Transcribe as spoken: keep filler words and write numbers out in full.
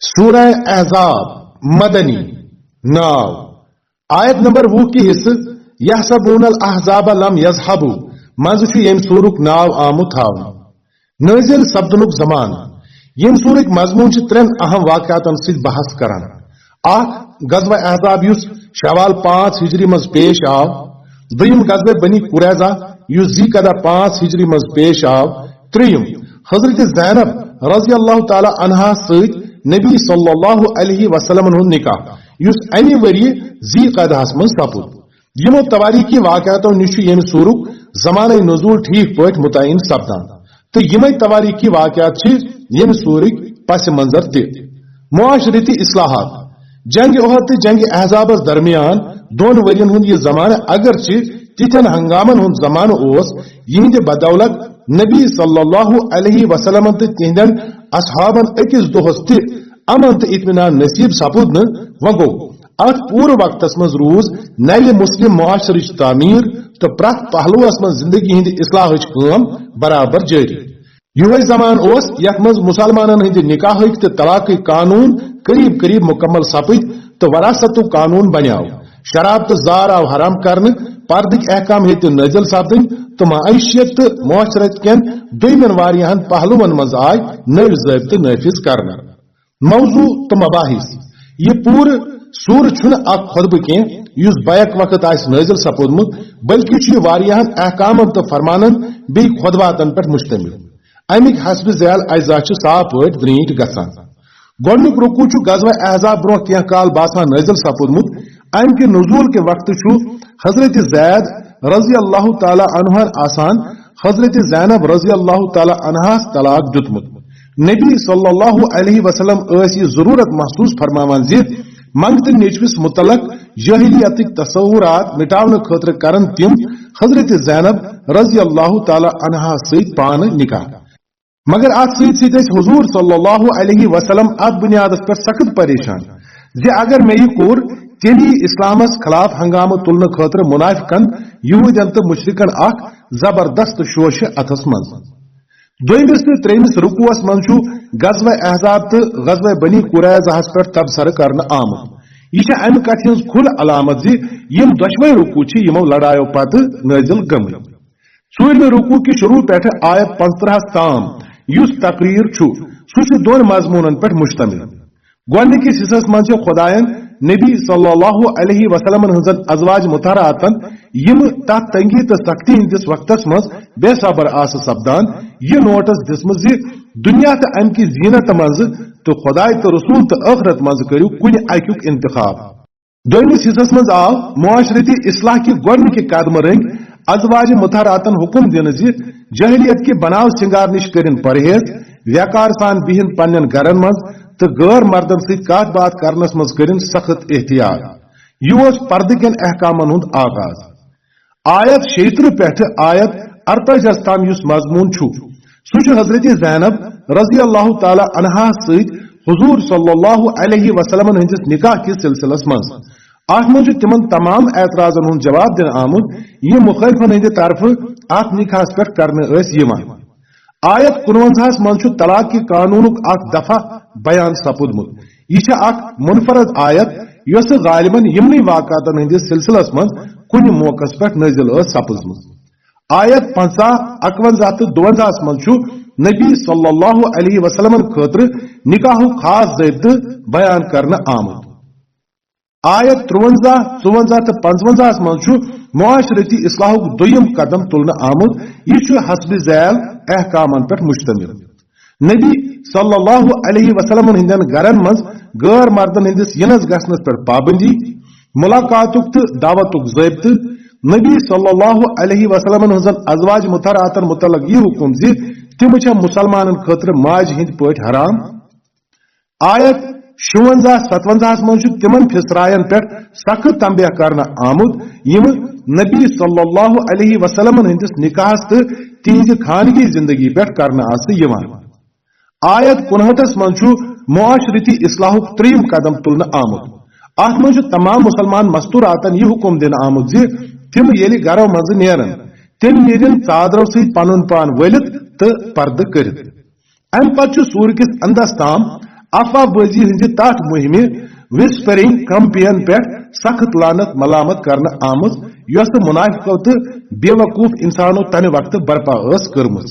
سورہ احزاب، مدنی، ناو۔ آیت نمبر وُہ کہِ حصہٕ یحسبون الاحزاب لم یذهبوا منٛز چھُ ییٚمہِ سورُک ناو آمُت تھاونہٕ۔ نٲزِل سپدنُک زمانہٕ۔ ییٚمہِ سورٕکۍ مضموٗن چھِ ترٛٮ۪ن اہم واقعاتن سۭتۍ بحث کران۔ اکھ، غزوہ احزاب یُس شوال پانٛژھ ہجری منٛز پیش آو۔ دوٚیِم، غزوہ بنی قریظہ یُس ذی قعدہ پانٛژھ ہجری منٛز پیش آو۔ ترٛیٚیِم، حضرت زینب رضی اللہ تعالیٰ عنہا سۭتۍ نبی صلی اللہ علیہ وسلمن ہُنٛد نکاح یُس اَمہِ ؤریہِ ذی قعدہس منٛز سپُد۔ یِمو توٲریٖخی واقعاتو نِش چھُ ییٚمہِ سورُک زمانَے نزول ٹھیٖک پٲٹھۍ متعین سپدان، تہٕ یِمے توٲریٖخی واقعات چھِ ییٚمہِ سورٕکۍ پس منظر تہِ۔ معاشرتی اصلاحات۔ جنگ احد تہٕ جنگ احزابس درمیان دۄن ؤرین ہُنٛد یہِ زمانہٕ اگرچہِ تِتھٮ۪ن ہنگامن ہُنٛد زمانہٕ اوس، یِہنٛدِ بدولت نبی صلی اللہ علیہ وسلمن تہٕ تِہنٛدٮ۪ن اصحابن أکِس دۄہس تہِ امن تہٕ اطمینان نصیب سپُد نہٕ۔ وۄنۍ گوٚو، اتھ پوٗرٕ وقتس منٛز روٗز نوِ مسلم معاشرٕچ تعمیٖر تہٕ پرٛٮ۪تھ پہلوس منٛز زندگی ہٕنٛدِ اصلاحٕچ کٲم برابر جٲری۔ یِہوٚے زمانہٕ اوس یتھ منٛز مسلمانن ہٕنٛدِ نکاحٕکۍ تہٕ طلاقٕکۍ قانوٗن قریب قریب مکمل سپٕدۍ تہٕ وراثتُک قانوٗن بنیٛاو۔ شراب تہٕ زار آو حرام کرنہٕ، پردٕکۍ احکام ہیٚتۍ نٲزِل سپدٕنۍ تہٕ معیشت تہٕ معاشرت کٮ۪ن دوٚیمٮ۪ن واریاہن پہلوَن منٛز آے نٔوۍ ضٲبطہٕ نٲفذ کرنہٕ۔ موضوع تہٕ مباحث۔ یہِ پوٗرٕ سورٕ چھُنہٕ اکھ خطبہٕ کینٛہہ یُس بیک وقت آسہِ نٲزِل سپُدمُت، بلکہِ چھُ یہِ واریاہن احکامن تہٕ فرمانن بیٚیہِ خطباتن پٮ۪ٹھ مشتمل۔ اَمِکۍ حسب ذیل اجزا چھِ صاف پٲٹھۍ درینٹھۍ گژھان۔ گۄڈٕنیُک رکوع چھُ غزوہ احزاب برونٛہہ کینٛہہ کال باسان نٲزِل سپُدمُت۔ اَمہِ کہِ نزول کہِ وقتہٕ چھُ حضرت زید رضی اللہ تعالیٰ عنہن آسان حضرت زینب رضی اللہ تعالیٰ عنہاس طلاق دیُتمُت۔ نبی صلی اللہ علیہ وسلم ٲسۍ یہِ ضروٗرت محسوٗس فرماوان زِ منٛگتہٕ نیٚچوِس مُتعلق جٲہلیتٕکۍ تصورات مٹاونہٕ خٲطرٕ کرن تِم حضرت زینب رضی اللہ تعالیٰ عنہا سۭتۍ پانہٕ نکاح۔ مگر اتھ سۭتۍ سۭتۍ ٲسۍ حضور صلی اللہ علیہ وسلم اتھ بنیادس پٮ۪ٹھ سخت پریشان زِ اگر مےٚ یہِ کوٚر، تیٚلہِ یی اسلامس خلاف ہنگامہٕ تُلنہٕ خٲطرٕ منافقن، یہودین تہٕ مشرکن اکھ زبردست شوشہٕ اتھس منٛز۔ دوٚیمِس تہٕ ترٛیٚیمِس رکوعس منٛز چھُ غزوہ احزاب تہٕ غزوہ بنی قریظہس پٮ۪ٹھ تبصرٕ کرنہٕ آمُت۔ یہِ چھِ امہِ کتھِ ہٕنٛز کھُلہٕ علامت زِ یِم دۄشوے رکوع چھِ یِمو لڑایو پتہٕ نٲزِل گٔمٕتۍ۔ ژوٗرمہِ رکوع کہِ شروع پٮ۪ٹھٕ آیت پانٛژترٕہس تام یُس تقریر چھُ، سُہ چھُ دۄن مضموٗنن پٮ۪ٹھ مشتمل۔ گۄڈٕنِکِس حصس منٛز چھِ خدایَن نبی صلی اللہ علیہ وسلمن ہٕنٛزن ازواج مطہراتن، یِم تتھ تنگی تہٕ سختی ہٕنٛدِس وقتس منٛز بے صبر آسہٕ سپدان، یہِ نوٹس دِژمٕژ زِ دنیا تہٕ امہِ کہِ زینت منٛز تہٕ خداے تہٕ رسول تہٕ ٲخرت منٛز کٔرِو کُنہِ اکیُک انتخاب۔ دوٚیمِس حصس منٛز آو معاشرتی اصلاح کہِ گۄڈٕنِکہِ قدمہٕ رٔنگۍ ازواج مطہراتن حکم دِنہٕ زِ جاہلیت کہِ بناو سنگار نِش کٔرِن پرہیز، ویقار سان بِہِن پننٮ۪ن گرن منٛز تہٕ غٲر مردن سۭتۍ کتھ باتھ کرنس منٛز کٔرِن سخت احتیاط۔ یہِ اوس پردٕ کٮ۪ن احکامن ہُنٛد آغاز۔ آیت شیٚیہِ ترٕٛہ پٮ۪ٹھٕ آیت اَرتٲجِہس تام یُس مضموٗن چھُ، سُہ چھُ حضرت زینب رضی اللہ تعالیٰ عنہا سۭتۍ حضور صلی اللہ علیہ وسلمن ہٕنٛدِس نکاح کِس سلسلس منٛز۔ اتھ منٛز چھُ تِمن تمام اعتراضن ہُنٛد جواب دِنہٕ آمُت، یِم مخٲلفن ہٕنٛدِ طرفہٕ اتھ نکاحس پٮ۪ٹھ کرنہٕ ٲسۍ یِوان۔ آیت کُنوَنزاہس منٛز چھُ طلاق کہِ قانوٗنُک اکھ دفعہ بیان سپُدمُت۔ یہِ چھےٚ اکھ منفرد آیت، یۄسہٕ غالباً یِمنٕے واقعاتن ہٕنٛدِس سلسلس منٛز کُنہِ موقعس پٮ۪ٹھ نٲزِل ٲس سپٕزمٕژ۔ آیت پنٛژاہ، اَکوَنزاہ تہٕ دُوَنزاہس منٛز چھُ نبی صلی اللہ علیہ وسلمن خٲطرٕ نکاحُک خاص ضٲبطہٕ بیان کرنہٕ آمُت۔ آیت ترُوَنزاہ، ژُوَنزاہ تہٕ پنٛژوَنزاہس منٛز چھُ معاشرتی اصلاحُک دوٚیِم قدم تُلنہٕ آمُت۔ یہِ چھُ حسب ذیل احکامن پٮ۪ٹھ مشتمل۔ نبی صلی اللہ علیہ وسلمن ہٕنٛدٮ۪ن گرن منٛز غٲر مردن ہٕنٛدِس یِنس گژھنس پٮ۪ٹھ پابندی، ملاقاتُک تہٕ دعوتُک ضٲبطہٕ، نبی صلی اللہ علیہ وسلمن ہٕنٛزن ازواج مطہراتن متعلق یہِ حکم زِ تِم چھےٚ مسلمانن خٲطرٕ ماجہِ ہٕنٛدۍ پٲٹھۍ حرام۔ آیت شُوَنزاہ ستوَنزاہس منٛز چھُ تِمن پھسراین پٮ۪ٹھ سخت تنبیہ کرنہٕ آمُت، یِم نبی صلی اللہ علیہ وسلمن ہٕنٛدِس نکاحس تہٕ تِہنٛزِ خانگی زندگی پٮ۪ٹھ کرنہٕ آسہٕ یِوان۔ آیت کُنہٲٹھس منٛز چھُ معاشرتی اصلاحُک ترٛیٚیِم قدم تُلنہٕ آمُت۔ اتھ منٛز چھُ تمام مسلمان مستوراتن یہِ حکم دِنہٕ آمُت زِ تِم ییٚلہِ گرو منٛزٕ نیرن، تیٚلہِ نیرن ژادرو سۭتۍ پنُن پان ؤلِتھ تہٕ پردٕ کٔرِتھ۔ امہِ پتہٕ چھُ سورٕ کِس اندس تام افواہ بازی ہٕنٛزِ تتھ مُہِمہِ وسپرنگ کمپین پٮ۪ٹھ سخت لعنت ملامت کرنہٕ آمٕژ، یۄسہٕ منافقو تہٕ بیوقوف انسانو تمہِ وقتہٕ برپا ٲس کٔرمٕژ۔